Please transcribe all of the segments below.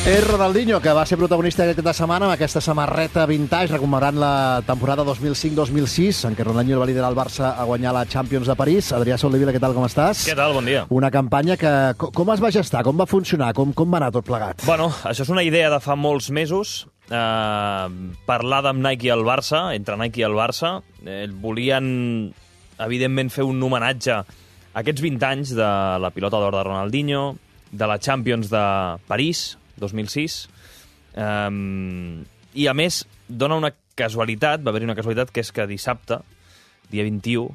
És Ronaldinho, que va ser protagonista aquesta setmana amb aquesta samarreta vintage, recomemorant la temporada 2005-2006, en què Ronaldinho va liderar el Barça a guanyar la Champions de París. Adrià Soldevila, què tal, com estàs? Què tal, bon dia. Una campanya que... Com es va gestar? Com va funcionar? Com va anar tot plegat? Bueno, això és una idea de fa molts mesos, parlada amb Nike i el Barça, entre Nike i el Barça. Volien, evidentment, fer un homenatge a aquests 20 anys de la pilota d'or de Ronaldinho, de la Champions de París, 2006, i a més dona una casualitat, va haver-hi una casualitat, que és que dissabte, dia 21,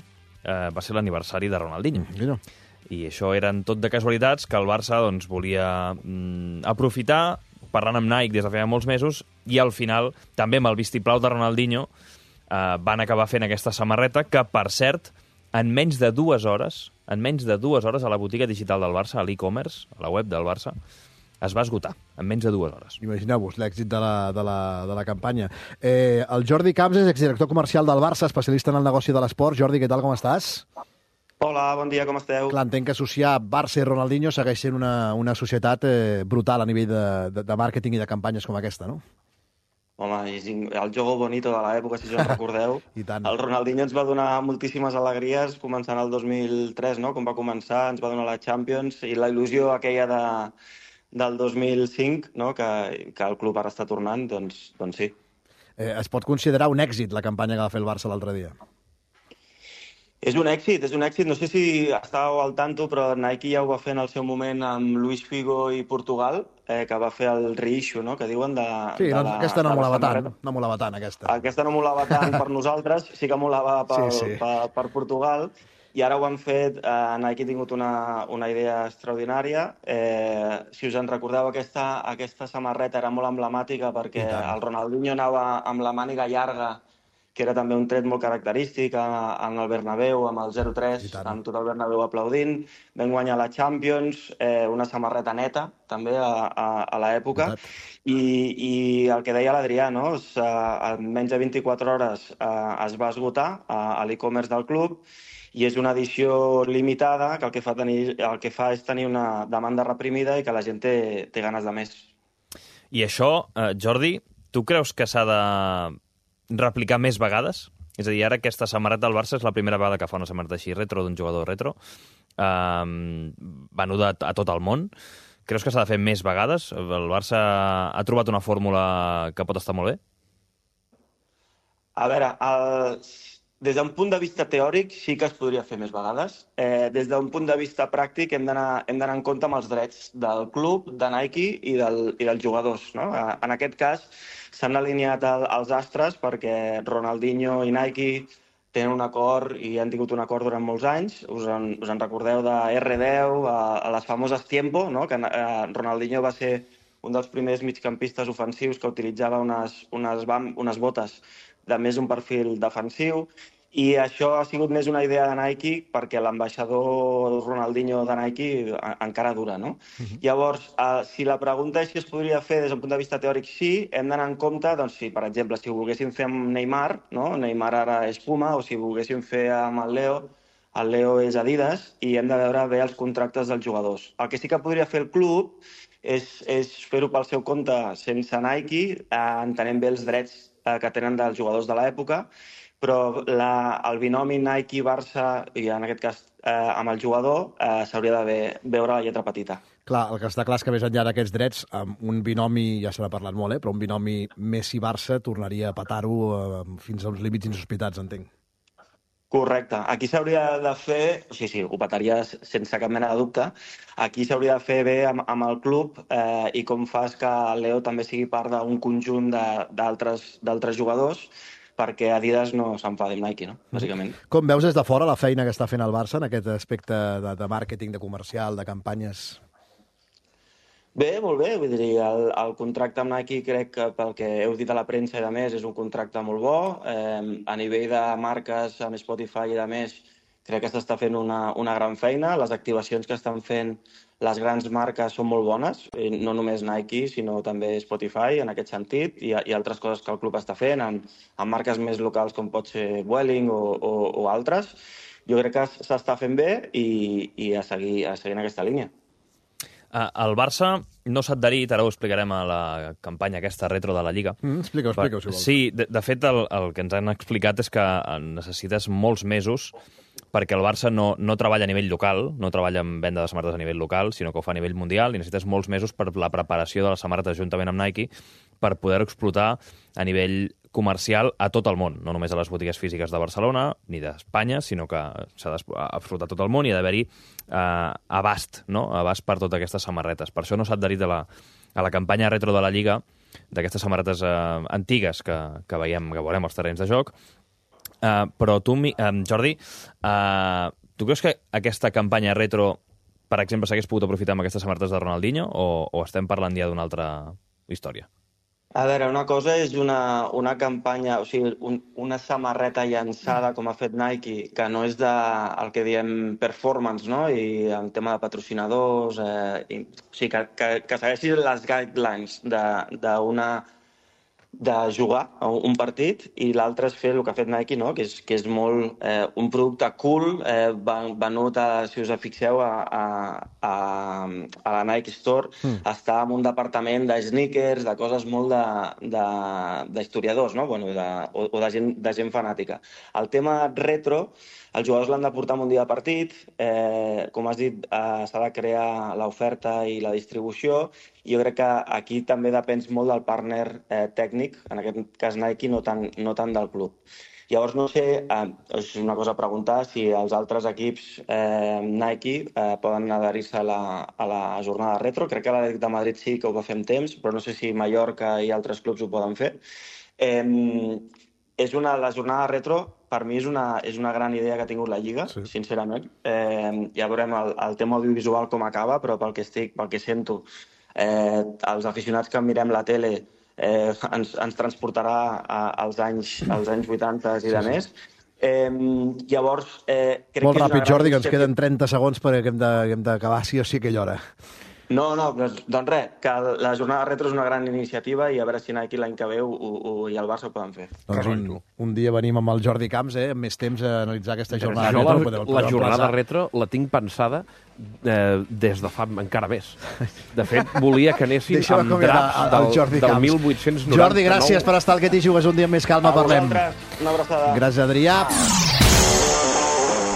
va ser l'aniversari de Ronaldinho. I això eren tot de casualitats que el Barça doncs, volia aprofitar, parlant amb Nike des de feia molts mesos, i al final, també amb el vistiplau de Ronaldinho, van acabar fent aquesta samarreta que, per cert, en menys de 2 hores, a la botiga digital del Barça, a l'e-commerce, a la web del Barça, es va esgotar, en menys de 2 hores. Imagineu-vos l'èxit de la campanya. El Jordi Camps és exdirector comercial del Barça, especialista en el negoci de l'esport. Jordi, què tal, com estàs? Hola, bon dia, com esteu? Clar, entenc que associar Barça i Ronaldinho segueix sent una societat brutal a nivell de màrqueting i de campanyes com aquesta, no? Home, és el jogo bonito de l'època, si us en recordeu. I tant. El Ronaldinho ens va donar moltíssimes alegries, començant el 2003, no? Com va començar, ens va donar la Champions, i la il·lusió aquella del 2005, no? que el club ara està tornant, doncs sí. Es pot considerar un èxit la campanya que va fer el Barça l'altre dia? És un èxit. No sé si estàveu al tanto, però Nike ja ho va fer en el seu moment amb Luis Figo i Portugal, que va fer el reissue, no?, que diuen de... Sí, aquesta no molava tant, aquesta. Aquesta no molava tant per nosaltres, sí que molava per Portugal, i ara ho han fet, Nike ha tingut una idea extraordinària. Si us en recordeu, aquesta samarreta era molt emblemàtica perquè el Ronaldinho anava amb la màniga llarga, que era també un tret molt característic en el Bernabéu, amb el 0-3, amb tot el Bernabéu aplaudint. Vam guanyar la Champions, una samarreta neta, també, a l'època. I el que deia l'Adrià, no? En menys de 24 hores es va esgotar a l'e-commerce del club, i és una edició limitada que el que fa és tenir una demanda reprimida i que la gent té ganes de més. I això, Jordi, tu creus que s'ha de replicar més vegades? És a dir, ara aquesta samarreta del Barça és la primera vegada que fa una samarreta així retro, d'un jugador retro, venuda a tot el món. Creus que s'ha de fer més vegades? El Barça ha trobat una fórmula que pot estar molt bé? A veure, des d'un punt de vista teòric sí que es podria fer més vegades. Des d'un punt de vista pràctic hem d'anar en compte amb els drets del club, de Nike i dels jugadors, no? En aquest cas s'han alineat els astres perquè Ronaldinho i Nike tenen un acord i han tingut un acord durant molts anys. Us en recordeu de R10, a les famoses Tiempo, no? Que Ronaldinho va ser un dels primers migcampistes ofensius que utilitzava unes botes de més un perfil defensiu, i això ha sigut més una idea de Nike perquè l'ambaixador Ronaldinho de Nike encara dura, no? Llavors, si la pregunta és si es podria fer des d'un punt de vista teòric, sí, hem d'anar en compte, doncs si, per exemple, si ho volguéssim fer amb Neymar, no? Neymar ara és Puma, o si ho volguéssim fer amb el Leo és Adidas, i hem de veure bé els contractes dels jugadors. El que sí que podria fer el club és fer-ho pel seu compte sense Nike, entenent bé els drets que tenen dels jugadors de l'època, però el binomi Nike-Barça, i en aquest cas amb el jugador, s'hauria de veure la lletra petita. Clar, el que està clar és que més enllà d'aquests drets, un binomi, ja se n'ha parlat molt, però un binomi Messi-Barça tornaria a petar-ho fins a uns límits insospitats, entenc. Correcte. Aquí s'hauria de fer... Sí, ho petaria sense cap mena de dubte. Aquí s'hauria de fer bé amb el club i com fas que el Leo també sigui part d'un conjunt d'altres jugadors, perquè Adidas no s'enfadi amb Nike, no? Bàsicament. Com veus des de fora la feina que està fent el Barça en aquest aspecte de màrqueting, de comercial, de campanyes? Bé, molt bé. Vull dir, el contracte amb Nike crec que pel que heu dit a la premsa i de més és un contracte molt bo. A nivell de marques amb Spotify i de més crec que s'està fent una gran feina. Les activacions que estan fent les grans marques són molt bones, no només Nike, sinó també Spotify en aquest sentit, i altres coses que el club està fent amb marques més locals com pot ser Vueling o altres. Jo crec que s'està fent bé i a seguir en aquesta línia. El Barça no s'ha adherit, ara ho explicarem a la campanya aquesta retro de la Lliga. Explica-ho, si vols. Sí, de fet, el que ens han explicat és que necessites molts mesos perquè el Barça no treballa a nivell local, no treballa en venda de samarretes a nivell local, sinó que ho fa a nivell mundial, i necessites molts mesos per la preparació de les samarretes juntament amb Nike per poder explotar a nivell comercial a tot el món, no només a les botigues físiques de Barcelona ni d'Espanya, sinó que s'ha d'explotar tot el món i ha d'haver-hi abast, no? Abast per totes aquestes samarretes. Per això no s'ha adherit a la campanya retro de la Lliga, d'aquestes samarretes antigues que veiem, que veurem als terrenys de joc. Però tu, Jordi, tu creus que aquesta campanya retro, per exemple, s'hagués pogut aprofitar amb aquestes samarretes de Ronaldinho o estem parlant ja d'una altra història? A veure, una cosa és una campanya, o sigui, una samarreta llançada com ha fet Nike, que no és el que diem performance, no? I en tema de patrocinadors, o sigui, que segueixi les guidelines de jugar un partit, i l'altre és fer el que ha fet Nike, no? que és molt un producte cool, venut, si us fixeu, a la Nike Store. Està en un departament de sneakers, de coses molt d'historiadors, no? Bueno, o de gent fanàtica. El tema retro, els jugadors l'han de portar en un dia de partit, com has dit, s'ha de crear l'oferta i la distribució, i jo crec que aquí també depèn molt del partner tècnic, en aquest cas Nike, no tant del club. Llavors, no sé, és una cosa a preguntar, si els altres equips Nike poden adherir-se a la jornada retro. Crec que l'Atlètic de Madrid sí que ho va fer amb temps, però no sé si Mallorca i altres clubs ho poden fer. La jornada retro, per mi, és una gran idea que ha tingut la Lliga, sincerament. Ja veurem el tema audiovisual com acaba, però pel que sento, els aficionats que mirem la tele ens transportarà als anys 80 i de més. Llavors, crec molt que ràpid, Jordi, que ens queden 30 segons perquè hem d'acabar sí o sí aquella hora. No, doncs res, que la jornada retro és una gran iniciativa i a veure si Nike l'any que ve i el Barça ho poden fer. Doncs un dia venim amb el Jordi Camps, amb més temps a analitzar aquesta jornada retro. La jornada retro la tinc pensada des de fa encara més. De fet, volia que anessin amb draps del 1899. Jordi, gràcies per estar al Que t'hi jugues un dia amb més calma. Parlem. Una abraçada. Gràcies, Adrià.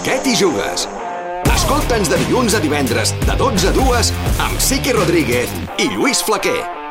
Què t'hi jugues? Escolta'ns de dilluns a divendres, de 12 a 2, amb Sique Rodríguez i Lluís Flaquer.